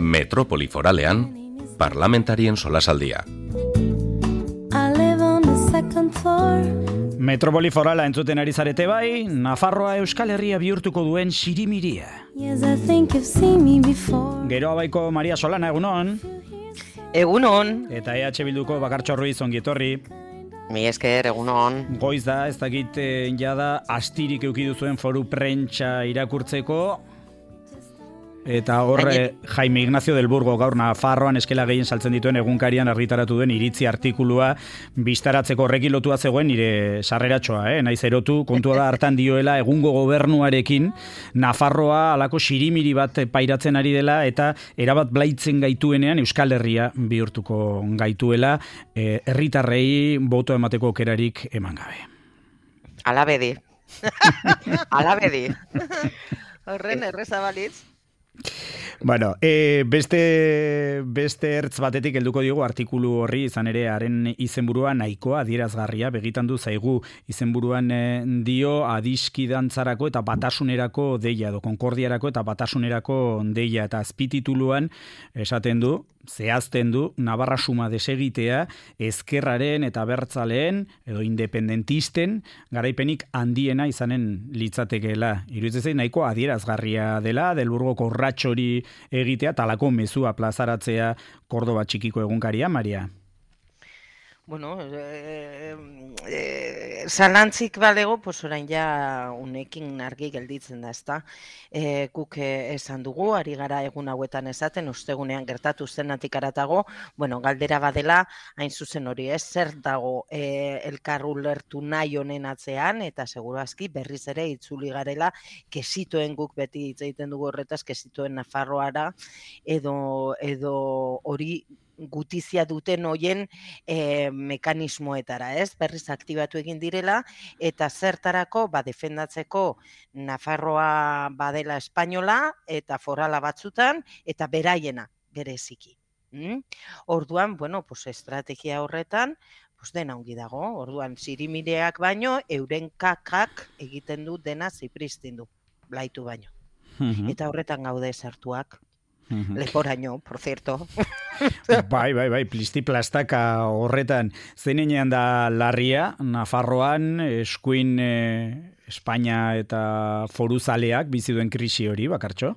Metropoli foralean, parlamentarien solasaldia. Metropoli forala entzuten ari zarete bai, Nafarroa Euskal Herria bihurtuko duen sirimiria. Gero abaiko Maria Solana, egunon. Egunon. Eta EH Bilduko Bakartxo Ruiz, ongietorri. Mi esker, egunon. Goiz da, ez dakit jada, astirik eukidu zuen foru prentsa irakurtzeko. Eta horre Jaime Ignacio del Burgo gaur Nafarroan eskela gehien saltzen dituen egunkarian argitaratu duen iritzi artikulua bistaratzeko horrekin lotua zegoen nire sarreratxoa, naiz erotu, kontua da hartan dioela egungo gobernuarekin Nafarroa alako sirimiri bat pairatzen ari dela eta erabat blaitzen gaituenean Euskal Herria bihurtuko gaituela, herritarrei boto emateko aukerarik eman gabe. Alabedi. Alabedi. Horren erreza balitz. Bueno, beste ertz batetik helduko diogu artikulu horri, izan ere haren izenburua nahikoa adierazgarria begitan du zaigu. Izenburuan dio adiskidantzarako eta batasunerako deia edo konkordiarako eta batasunerako deia, eta azpitituluan esaten du, zehazten du, Navarra suma desegitea ezkerraren eta abertzaleen edo independentisten garaipenik handiena izanen litzatekeela. Iruditzen zait nahiko adierazgarria dela, Del Burgoko urratxori egitea, talako mezua plazaratzea Kordoba txikiko egunkaria, Maria? Bueno, zalantzik balego, pues orain ja unekin argi gelditzen da, ezta? Guk esan dugu, ari gara egun hauetan esaten, ostegunean gertatu zenatik aratago, bueno, galdera badela, hain zuzen hori, zer dago elkar ulertu nahi honen atzean, eta seguru aski berriz ere itzuli garela, kesitoen guk beti hitz egiten dugu horretaz, kesitoen Nafarroara, edo hori gutizia duten hoien mekanismoetara, ez? Berriz aktibatu egin direla, eta zertarako, defendatzeko Nafarroa badela espainola, eta forala batzutan, eta beraiena bereziki. Orduan, bueno, pues estrategia horretan, pues dena ongi dago, orduan sirimireak baino, euren kakak egiten du dena zipristindu, blaitu baino. Eta horretan gaude sartuak. Leporaino, por cierto. Bai, plisti-plastaka horretan. Zeinean da larria, Nafarroan, eskuin Espainia eta foruzaleak bizi duen krisi hori, Bakartxo?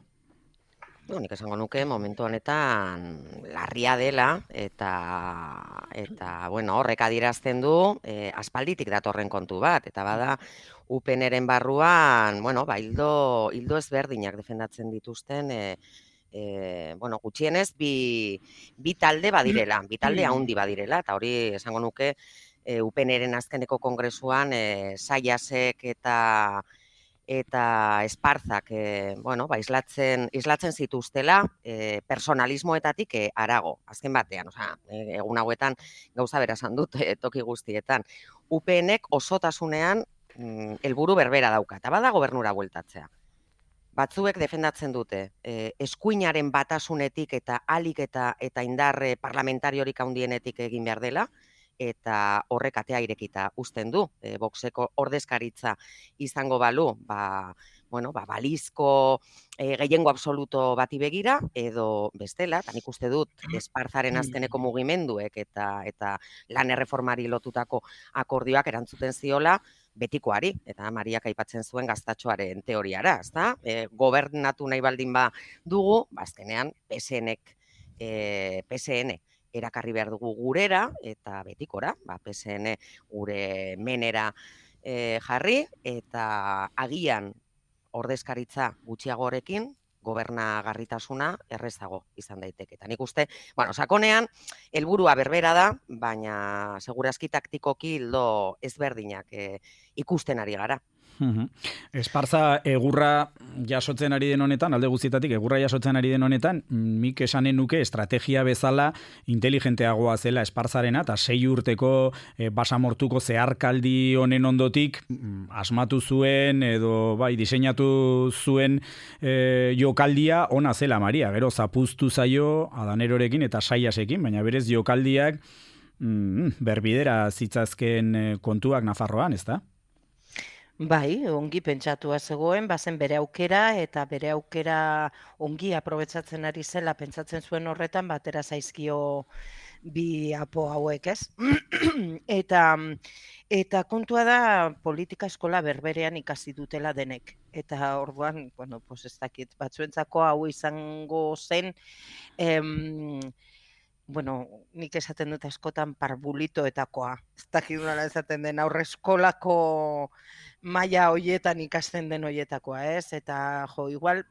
Nik esango nuke momentu honetan larria dela eta bueno, horrek adierazten du aspalditik datorren kontu bat, eta bada UPNren barruan, bueno, hildo ezberdinak defendatzen dituzten bueno, gutxienez bi talde badirela, bi talde handi badirela, eta hori esango nuke UPNren azkeneko kongresuan Saiasek eta Esparzak bueno, islatzen zituztela personalismoetatik harago, azken batean, egun hauetan gauza bera esan dut toki guztietan. UPNek osotasunean helburu berbera dauka, eta bada gobernura bueltatzea. Batzuek defendatzen dute, eskuinaren batasunetik eta alik eta indarre parlamentariorik handienetik egin behar dela, eta horrek atea irekita uzten du. Voxeko ordezkaritza izango balu, balizko gehiengo absoluto bati begira, edo bestela, eta nik uste dut Esparzaren azkeneko mugimenduek eta lan erreformari lotutako akordioak erantzuten ziola, betikoari, eta Mariak aipatzen zuen gaztatxoaren teoriara, ezta? Gobernatu nahi baldin dugu, azkenean PSN erakarri behar dugu gurera, eta betikora, PSN gure menera jarri, eta agian ordezkaritza gutxiagorekin, gobernagarritasuna errezago izan daiteke. Eta nik uste, sakonean, helburua berbera da, baina segurazki taktikoki hildo ezberdinak ikusten ari gara. Esparza egurra jasotzen ari den honetan, alde guztietatik egurra jasotzen ari den honetan, nik esanen nuke estrategia bezala inteligenteagoa zela Esparzarena, eta 6 urteko basamortuko zeharkaldi honen ondotik asmatu zuen edo diseinatu zuen jokaldia ona zela, Maria. Gero zapuztu zaio Adanerorekin eta Saiasekin, baina berez jokaldiak berbidera zitzazken kontuak Nafarroan, ez da? Bai, ongi pentsatua zegoen, bazen bere aukera, eta bere aukera ongi aprobetsatzen ari zela, pentsatzen zuen horretan, batera zaizkio bi apo hauek, ez? Eta kontua da politika eskola berberean ikasi dutela denek. Eta orduan, bueno, pues ez dakit, batzuentzako hau izango zen, bueno, nik esaten dut askotan parbulitoetakoa. Ez dakit nola esaten den aurreskolako maila hoietan ikasten den hoietakoa, ez? Eta jo, igual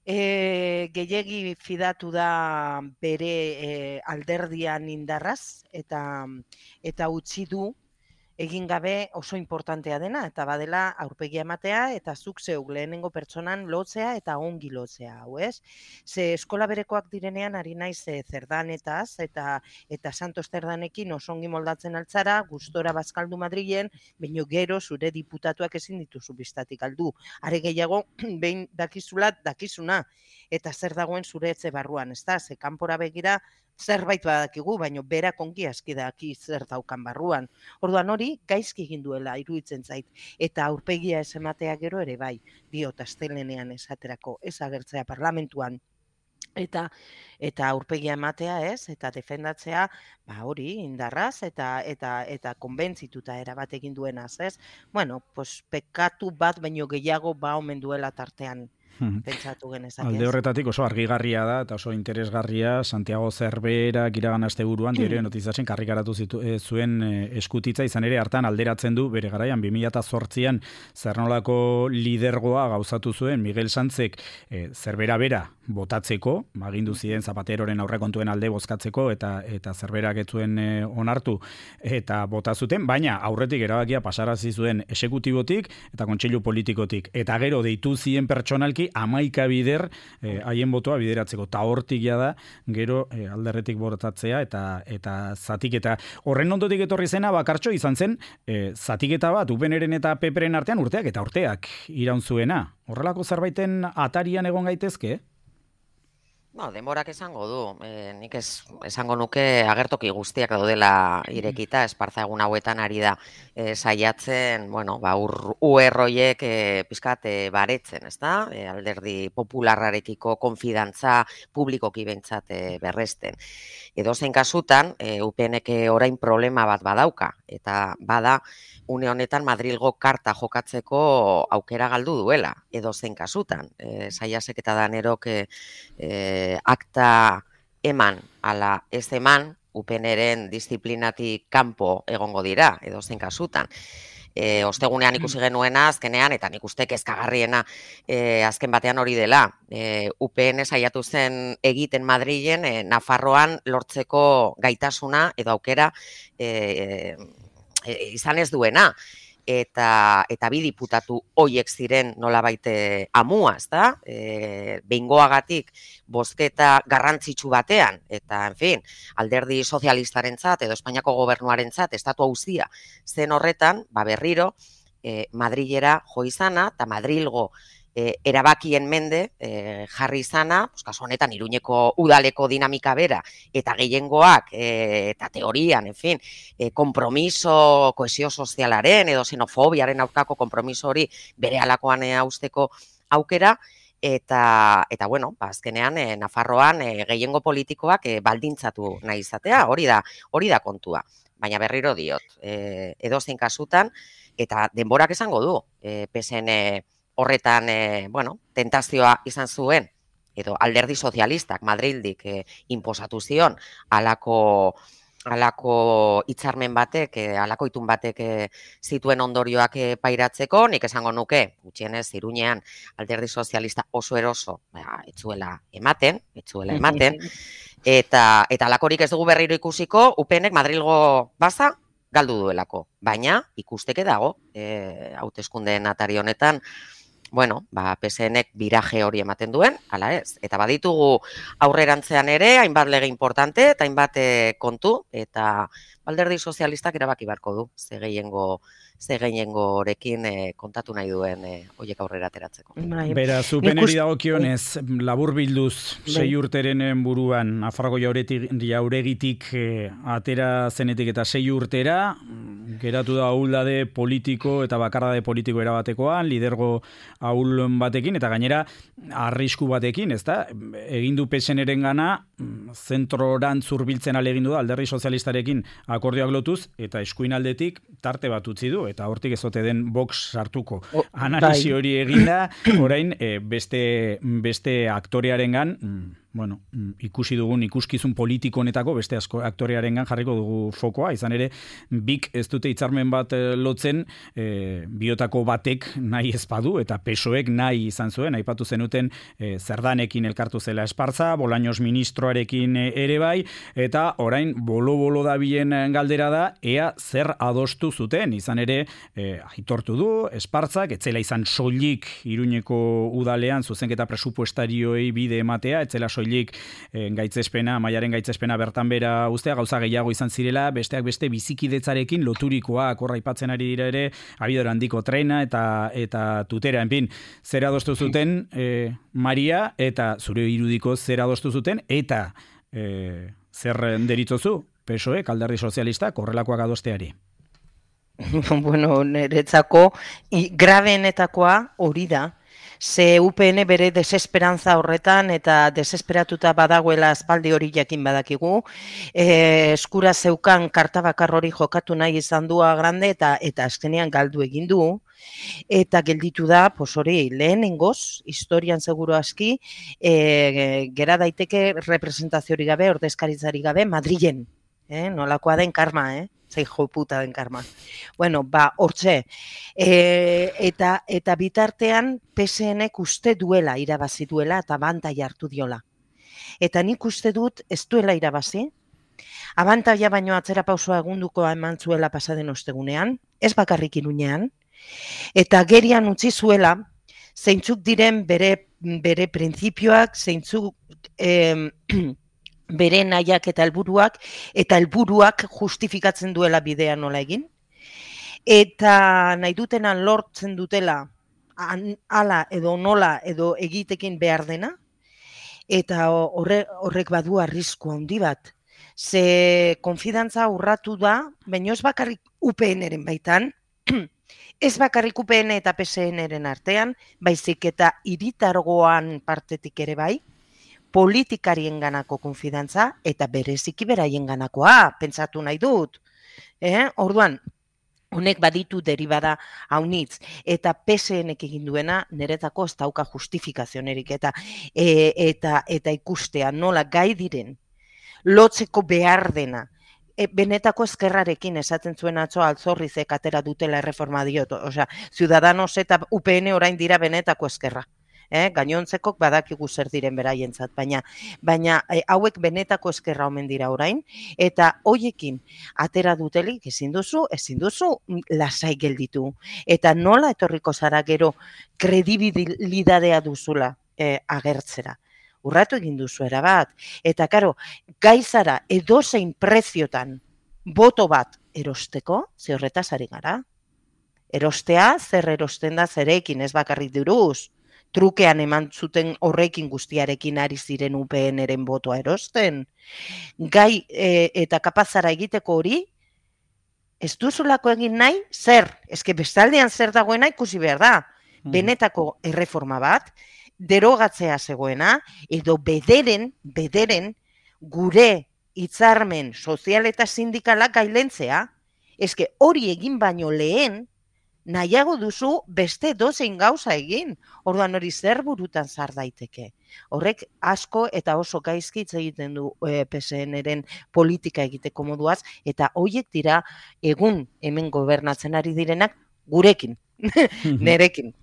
gehiegi fidatu da bere alderdian indarraz eta utzi du egin gabe oso importantea dena, eta badela aurpegia ematea, eta zuk zeuk lehenengo pertsonan lotzea eta ongi lotzea, hau ez? Ze eskola berekoak direnean ari naiz zerdanetaz, eta Santos Zerdanekin oso ongi moldatzen altzara, gustora bazkaldu Madrilen, baino gero zure diputatuak ezin dituzu bistatik aldu. Are gehiago, behin dakizuna, eta zer dagoen zure etxe barruan, ezta? Ze kanpora begira, zerbait badakigu, baino berak ongi aski daki zer daukan barruan. Orduan hori gaizki egin duela iruditzen zait, eta aurpegia ez ematea gero ere bai, diot astelenean esaterako, ez agertzea parlamentuan. Eta aurpegia ematea, ez, eta defendatzea, hori indarraz eta konbentzituta erabat egin duenaz, ez? Bueno, pues pekatu bat baino gehiago omen duela tartean. Pentsatu genezake. Alde horretatik oso argigarria da eta oso interesgarria Santiago Cerverak iragan asteburuan Diario de Noticiasen karrikaratu zuen eskutitza, izan ere hartan alderatzen du bere garaian 2008an zernolako lidergoa gauzatu zuen Miguel Sanzek Cervera bera botatzeko, agindu ziren Zapateroren aurrekontuen alde bozkatzeko eta Cerverak ez zuen onartu eta bota zuten, baina aurretik erabakia pasarazi zuen exekutibotik eta kontseilu politikotik, eta gero deitu zien pertsonalki 11 bider haien botoa bideratzeko, eta hortik da gero alderretik botatzea eta zatiketa. Horren ondotik etorri zena bakartxo izan zen zatiketa bat UPNren eta PPren artean urteak iraun zuena. Horrelako zerbaiten atarian egon gaitezke? Denborak esango du. Nik esango nuke agertoki guztiak daudela irekita, Esparza egun hauetan ari da saiatzen, UR-oiek pizkat baretzen, ezta? Alderdi popularrarekiko konfidantza publikoki behintzat berresten. Edozein kasutan, UPNek orain problema bat badauka, eta bada une honetan Madrilgo karta jokatzeko aukera galdu duela, edozein kasutan. Saiasek eta Danerok akta eman ala ez eman, UPNren disiplinatik kanpo egongo dira, edozein kasutan. Ostegunean ikusi genuena azkenean, eta nik uste kezkagarriena azken batean hori dela. UPN saiatu zen egiten Madrilen, Nafarroan lortzeko gaitasuna edo aukera izan ez duena. Eta bi diputatu hoiek ziren nolabait amua, ezta? Behingoagatik bozketa garrantzitsu batean, eta, en fin, alderdi sozialistarentzat edo Espainiako gobernuarentzat estatu auzia zen horretan, berriro, Madrilera jo izana, eta Madrilgo erabakien mende jarri izana, kasu honetan Iruñeko udaleko dinamika bera, eta gehiengoak, eta teorian, en fin, kompromiso, kohesio sozialaren edo xenofobiaren aurkako kompromiso hori bere alakoan hausteko aukera, eta azkenean Nafarroan gehiengo politikoak baldintzatu nahi izatea, hori da kontua. Baina berriro diot, edozein kasutan, eta denborak esango du, PSN horretan, tentazioa izan zuen, edo alderdi sozialistak Madrildik inposatu zion, alako hitzarmen batek, alako itun batek zituen ondorioak pairatzeko, nik esango nuke, gutxienez, Iruñean alderdi sozialista oso eroso, etzuela ematen, eta alakorik ez dugu berriro ikusiko, UPNek Madrilgo baza galdu duelako, baina ikusteke dago, hauteskundeen atari honetan, PSNek biraje hori ematen duen, ala ez. Eta baditugu aurrerantzean ere, hainbat lege importante, eta hainbat kontu, eta alderdi sozialistak erabaki beharko du, ze gehiengorekin kontatu nahi duen horiek aurrera ateratzeko. Beraz, UPNeri dagokionez, labur bilduz, 6 urteren buruan, Nafarroko jauregitik atera zenetik eta 6 urtera, geratu da ahuldade politiko eta bakardade politiko erabatekoan, lidergo ahul batekin, eta gainera arrisku batekin, ezta? Egin du PSN-eren gana, zentrorantz hurbiltzen alegin du da, alderdi sozialistarekin akordioak lotuz, eta eskuin aldetik tarte bat utzi du, eta hortik ezote den Vox sartuko. Analisi hori eginda, orain beste aktorearengan, bueno, ikusi dugun ikuskizun politiko honetako beste aktorearengan jarriko dugu fokoa, izan ere, bik ez dute hitzarmen bat lotzen, biotako batek nahi ez badu, eta PSOEk nahi izan zuen, aipatu zenuten Zerdanekin elkartu zela Espartza, Bolaños ministroarekin ere bai, eta orain bolo-bolo dabilen galdera da, ea zer adostu zuten, izan ere, aitortu du, Espartzak, etzela izan soilik Iruñeko udalean zuzenketa presupuestarioei bide ematea, etzela soilik gaitzespena, Maiaren gaitzespena bertan bera ustea, gauza gehiago izan zirela, besteak beste bizikidetzarekin loturikoak, horra aipatzen ari dira ere, abidor handiko trena eta tutera, enpin, zer adostu zuten Maria, eta zure irudiko zer adostu zuten, eta zer deritzozu, PSOE, alderdi sozialistak, horrelakoak adosteari. Bueno, niretzako, grabeenetakoa hori da, ze UPN bere desesperanza horretan eta desesperatuta badagoela aspaldi hori jakin badakigu, eskura zeukan karta bakar hori jokatu nahi izan du Agrande eta azkenean galdu egin du, eta gelditu da, hori lehenengoz, historian seguru aski, gera daiteke representaziorik gabe, ordezkaritzari gabe, Madrilen, nolakoa den karma, zei jo puta den karma. Bueno, hortxe, eta bitartean PSN-ek uste duela irabazi duela eta abantaila hartu diola. Eta nik uste dut ez duela irabazi, abantaila baino atzera pausoa egunduko eman zuela pasaden ostegunean, ez bakarrik Iruñean, eta gerian utzi zuela, zeintzuk diren bere printzipioak, zeintzuk bere nahiak eta helburuak justifikatzen duela bidea nola egin. Eta nahi dutenan lortzen dutela hala edo nola edo egitekin behar dena, eta horrek badu arrisku handi bat. Ze konfidantza urratu da, baina ez bakarrik UPN-eren baitan, ez bakarrik UPN eta PSN-eren artean, baizik eta hiritargoan partetik ere bai, politikarien ganako konfidantza eta bereziki beraien ganakoa, pentsatu nahi dut. Orduan, honek baditu deribada haunitz, eta PSN-ek egin duena niretako ez dauka justifikazionerik eta ikustea nola gai diren lotzeko behar dena. Benetako ezkerrarekin esaten zuen atzo Altzorrizek atera dutela erreforma diot, osea, Ciudadanos eta UPN orain dira benetako ezkerra. Gainontzekok badakigu zer diren beraientzat, baina hauek benetako ezkerra omen dira orain, eta hoiekin atera dutelik ezin duzu lasai gelditu. Eta nola etorriko zara gero kredibilidadea duzula agertzera. Urratu egin duzu erabat. Eta karo, gaizara edozein preziotan boto bat erosteko, ze horretaz ari gara. Erostea, zer erosten da zerekin, ez bakarrik diruz. Trukean eman zuten horrekin guztiarekin ari ziren UPN-eren botoa erosten. Gai eta kapazara egiteko hori, ez duzulako egin nahi, zer? Ezke bestaldean zer dagoena ikusi behar da. Benetako erreforma bat, derogatzea zegoena, edo bederen gure hitzarmen sozial eta sindikalak gailentzea, ezke hori egin baino lehen, nahiago duzu beste dozein gauza egin, orduan hori zer burutan zar daiteke. Horrek asko eta oso gaizki hitz egiten du PSN-eren politika egiteko moduaz, eta horiek dira egun hemen gobernatzen ari direnak gurekin, nerekin.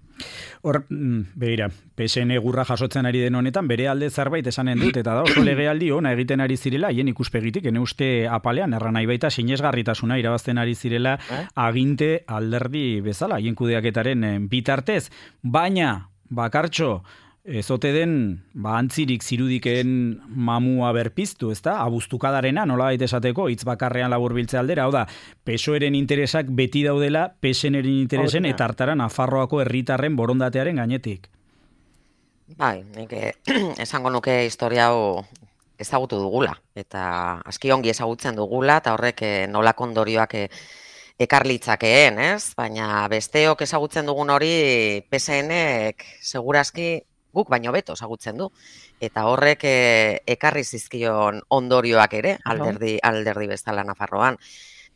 Hor, begira, PSN gurra jasotzen ari den honetan, bere alde zerbait esanen dut, eta da oso legealdi ona egiten ari zirela, hien ikuspegitik, ene uste apalean, erran nahi baita sinesgarritasuna irabazten ari zirela aginte alderdi bezala, hien kudeaketaren bitartez, baina, bakartxo, ezote den, antzirik zirudiken mamua berpiztu, ezta? Abuztukadarena, nola baita esateko, hitz bakarrean laburbiltze aldera, hau da, PSOEren interesak beti daudela, PSN-eren interesen, eta hartara Nafarroako herritarren borondatearen gainetik. Bai, esango nuke historia hau ezagutu dugula, eta aski ongi ezagutzen dugula, eta horrek nolako ondorioak ekarlitzakeen, ez? Baina besteok ezagutzen dugun hori PSN-ek segurazki guk baino beto ezagutzen du. Eta horrek ekarri zizkion ondorioak ere, alderdi bezala Nafarroan.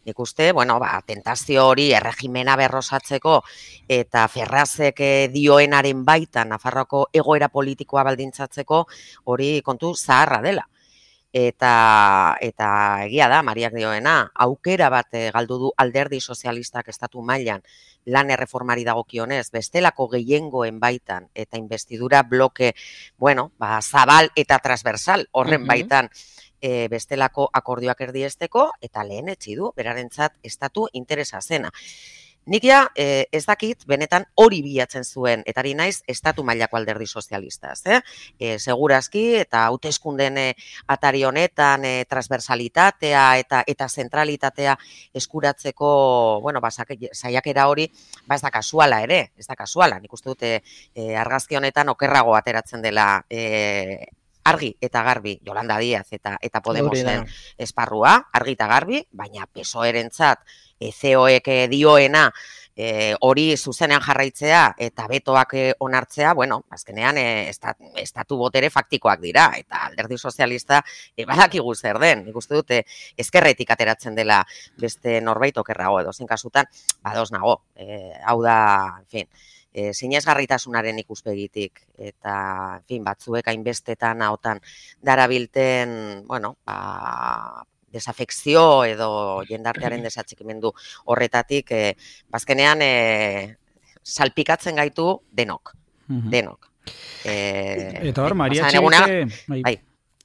Nik uste, tentazio hori erregimena berrosatzeko eta Ferrazek dioenaren baita Nafarroako egoera politikoa baldintzatzeko hori kontu zaharra dela. Eta egia da, Mariak dioena, aukera bat galdu du alderdi sozialistak estatu mailan lan erreformari dagokionez, bestelako gehiengoen baitan eta investidura bloke, zabal eta transversal horren baitan bestelako akordioak erdiesteko eta lehen etsi du, berarentzat estatu interesa zena. Nik ja ez dakit benetan hori bilatzen zuen, eta ari naiz estatu mailako alderdi sozialistaz. Segurazki eta hauteskunden atari honetan transversalitatea eta zentralitatea eskuratzeko, saiakera hori, ez da kasuala ere, ez da kasuala. Nik uste dute argazki honetan okerrago ateratzen dela argi eta garbi Yolanda Díaz eta Podemosen esparrua, argi eta garbi, baina PSOE-rentzat COek dioena hori zuzenean jarraitzea eta betoak onartzea, azkenean estatu botere faktikoak dira, eta alderdi sozialista badakigu zer den. Nik uste dute ezkerretik ateratzen dela beste norbait okerrago edo zein kasutan, badoz nago, hau da, sinesgarritasunaren ikuspegitik eta, batzuek hainbestetan ahotan darabilten, desafekzio edo jendartearen desatxikimendu horretatik, bazkenean salpikatzen gaitu denok. Eta hor, Maria Txibite,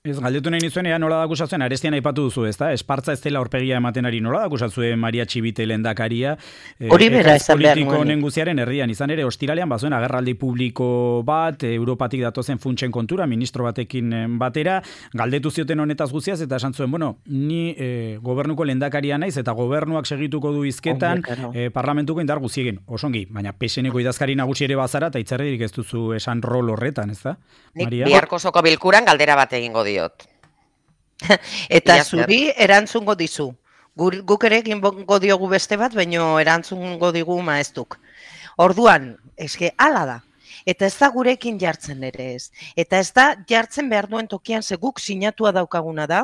ez galdetu nahi nizuen, nola da akusazuen, Arestian aipatu duzu, ez da? Espartza ez dela aurpegia ematen ari, nola da akusazuen Maria Txibite lehendakaria? Hori bera esan behar politiko neguziaren herrian, izan ere, ostiralean bazuen agerraldi publiko bat, Europatik datozen funtsen kontura, ministro batekin batera, galdetu zioten honetaz guztiaz, eta esan zuen, ni gobernuko lehendakaria naiz, eta gobernuak segituko du hizketan parlamentuko indar guztiegin, osongi, baina PSN-eko idazkari nagusi ere bazara, eta itzerririk ez duzu esan rol horretan, ez da? Nik biharko soko bilkuran galdera bat egingo diot. Eta zuri erantzungo dizu. Guk ere egingo diogu beste bat, baino erantzungo digu maeztuk. Orduan, eske hala da. Eta ez da gurekin jartzen ere ez. Eta ez da jartzen behar duen tokian, ze guk sinatua daukaguna da,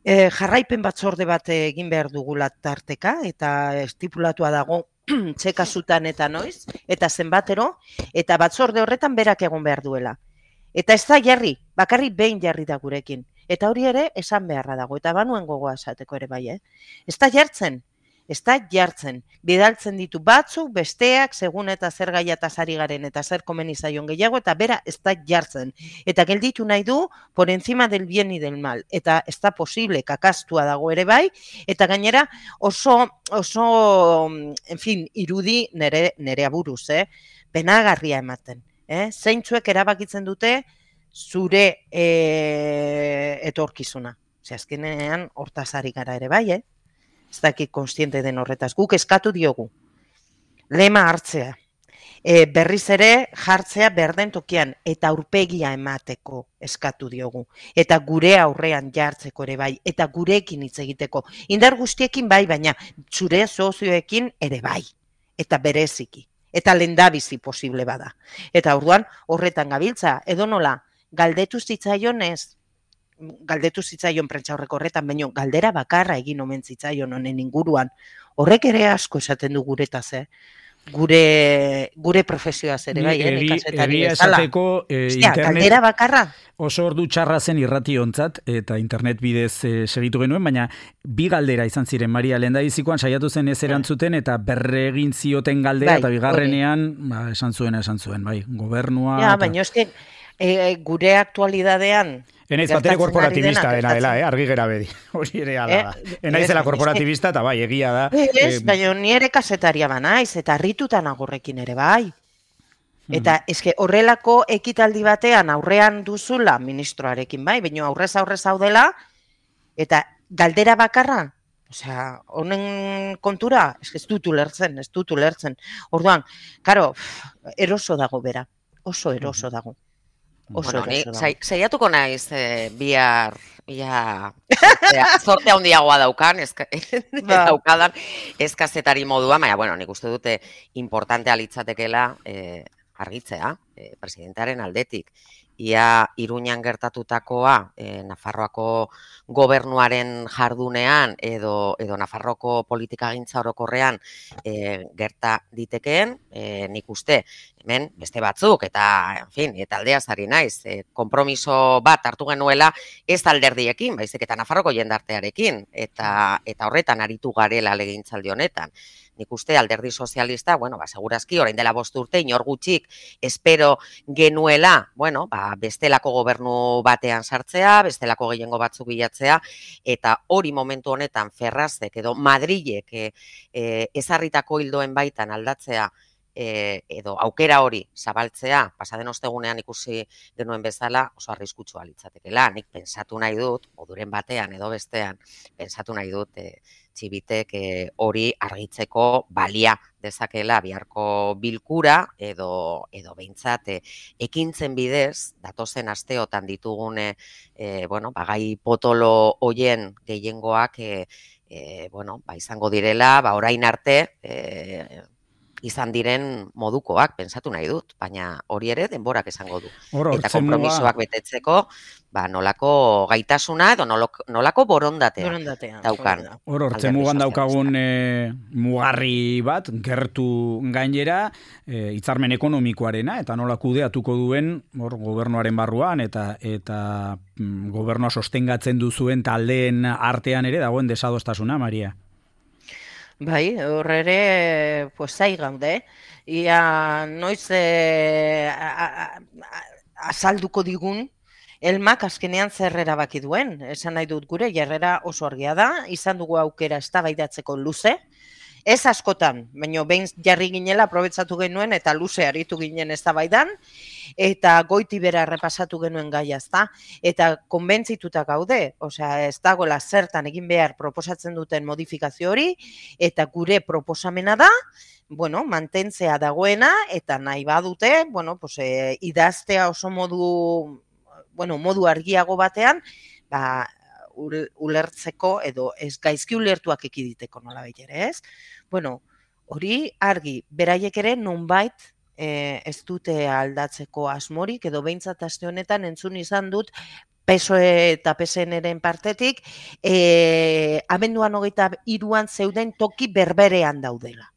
jarraipen batzorde bat egin behar dugula tarteka, eta estipulatua dago txekasutan eta noiz, eta zenbatero, eta batzorde horretan berak egon behar duela. Eta ez da jarri, bakarrik behin jarri da gurekin. Eta hori ere esan beharra dago, eta banuen gogoa esateko ere bai, Ez da jartzen, bidaltzen ditu batzuk, besteak, segun eta zer gaiataz ari garen, eta zer komeni zaion gehiago, eta bera ez da jartzen. Eta gelditu nahi du, por encima del bien y del mal. Eta ez da posible, kakastua dago ere bai, eta gainera oso en fin, irudi nere aburuz, penagarria ematen. Zeintzuek erabakitzen dute zure etorkizuna. Azkenean hortaz ari gara ere bai, Ez dakit konstiente den horretaz. Guk eskatu diogu. Lema hartzea. Berriz ere jartzea berden tokian eta aurpegia emateko eskatu diogu. Eta gure aurrean jartzeko ere bai. Eta gurekin hitz egiteko. Indar guztiekin bai, baina zure sozioekin ere bai. Eta bereziki. Eta lehendabizi posible bada. Eta orduan horretan gabiltza, edo nola, galdetu zitzaion prentsaurreko horretan, baino galdera bakarra egin omen zitzaion honen inguruan. Horrek ere asko esaten du guretaz, gure profesioaz ere bai, egia esateko internet galdera bakarra. Oso ordu txarra zen irrationtzat eta internet bidez segitu genuen, baina bi galdera izan ziren Maria lehendabizikoan saiatu zen ez erantzuten eta berregin zioten galdera eta bigarrenean esan zuen, bai, gobernua. Ja, baina eske gure aktualidadean enaiz batere korporatibista dela, argi gera bedi. Hori ere ala da. Enaizela korporatibista eta bai, egia da. Baina ni ere kasetaria banaiz eta harritutan agorrekin ere bai. Eta eske horrelako ekitaldi batean aurrean duzula ministroarekin bai, baina aurrez daudela eta galdera bakarra, osea, honen kontura, eske ez dut ulertzen. Orduan, karo, eroso dago bera, oso eroso dago. Oso Ni eraso dago. saiatuko naiz bihar zorte handiagoa daukan, daukadan eskazetari moduan, baina, bueno, nik uste dute importantea litzatekela argitzea, presidentearen aldetik. Ia Iruñan gertatutakoa Nafarroako gobernuaren jardunean edo Nafarroako politikagintza orokorrean gerta ditekeen, nik uste hemen beste batzuk eta, en fin, eta aldeaz ari naiz, konpromiso bat hartu genuela ez alderdiekin, baizik eta Nafarroko jendartearekin, eta horretan aritu garela legegintzaldi honetan. Nik uste alderdi sozialista, bueno, segurazki, orain dela 5 urte, inor gutxik espero genuela, bueno, bestelako gobernu batean sartzea, bestelako gehiengo batzuk bilatzea, eta hori momentu honetan Ferrazek edo Madrilek ezarritako hildoen baitan aldatzea, edo aukera hori zabaltzea, pasaden ostegunean ikusi genuen bezala, oso arriskutsua litzatekela. Nik pensatu nahi dut, moduren batean edo bestean, pensatu nahi dut, Txibitek hori argitzeko balia dezakela biharko bilkura edo behintzat ekintzen bidez, datozen asteotan ditugun gai potolo hoien gehiengoak izango direla, orain arte izan diren modukoak, pensatu nahi dut, baina hori ere denborak esango du. Eta konpromisoak betetzeko, nolako gaitasuna edo nolako borondatea daukan. Hortzen mugan daukagun mugarri bat, gertu gainera, hitzarmen ekonomikoarena, eta nola kudeatuko duen gobernuaren barruan, eta gobernua sostengatzen duzuen taldeen artean ere dagoen desadostasuna, Maria. Bai, horre ere, zai gaude. Ia noiz azalduko digun, Elmak azkenean zer erabaki duen. Esan nahi dut gure, jarrera oso argia da, izan dugu aukera eztabaidatzeko luze, ez askotan, baina behin jarri ginela aprobetsatu genuen eta luze aritu ginen eztabaidan, eta goiti bera errepasatu genuen gaia, ezta? Eta konbentzituta gaude, osea, ez dagoela zertan egin behar proposatzen duten modifikazio hori, eta gure proposamena da, mantentzea dagoena, eta nahi badute, idaztea oso modu argiago batean, ulertzeko edo ez gaizki ulertuak ekiditeko nolabait ere, ez? Hori argi, beraiek ere nonbait ez dute aldatzeko asmorik, edo behintzat aste honetan entzun izan dut PSOE eta PSN-eren partetik, abenduan 23an zeuden toki berberean daudela.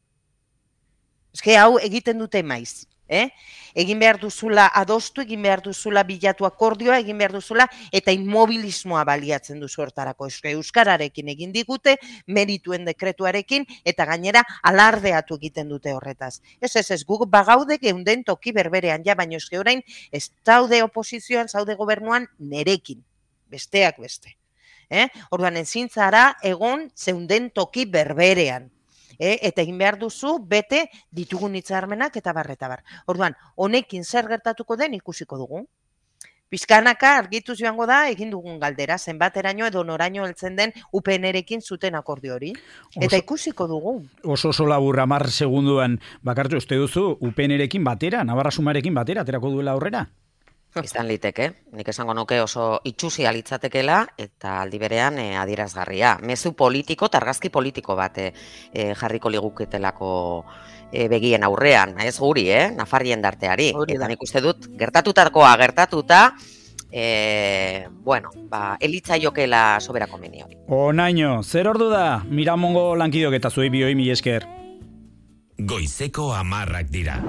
Eske hau egiten dute maiz. Egin behar duzula adostu, egin behar duzula bilatu akordioa, egin behar duzula eta inmobilismoa baliatzen duzu hortarako. Euskararekin egin digute, merituen dekretuarekin eta gainera alardeatu egiten dute horretaz. Ez, guk bagaude geunden toki berberean, baina eske orain ez daude oposizioan, zaude gobernuan nerekin, besteak beste. Orduan ezin zara egon zeunden toki berberean. Eta egin behar duzu bete ditugun hitzarmenak eta bar. Orduan, honekin zer gertatuko den ikusiko dugu. Pizkanaka argituz joango da egin dugun galdera, zenbateraino edo noraino heltzen den UPN-erekin zuten akordio hori. Eta ikusiko dugu. Oso labur 10 segunduan bakartu uste duzu UPN-erekin batera, Navarra Sumarekin batera, aterako duela aurrera? Izan liteke, nik esango nuke oso itxusia litzatekela eta aldi berean adierazgarria. Mezu politiko, argazki politiko bat jarriko liguketelako begien aurrean, ez guri, Nafarrien darteari. Eta nik uste dut, gertatutakoa gertatuta, elitzaiokela soberako meni hori. Onaino, zer ordu da? Miramongo lankidok eta zuei bioi mila esker. Goizeko 10 dira.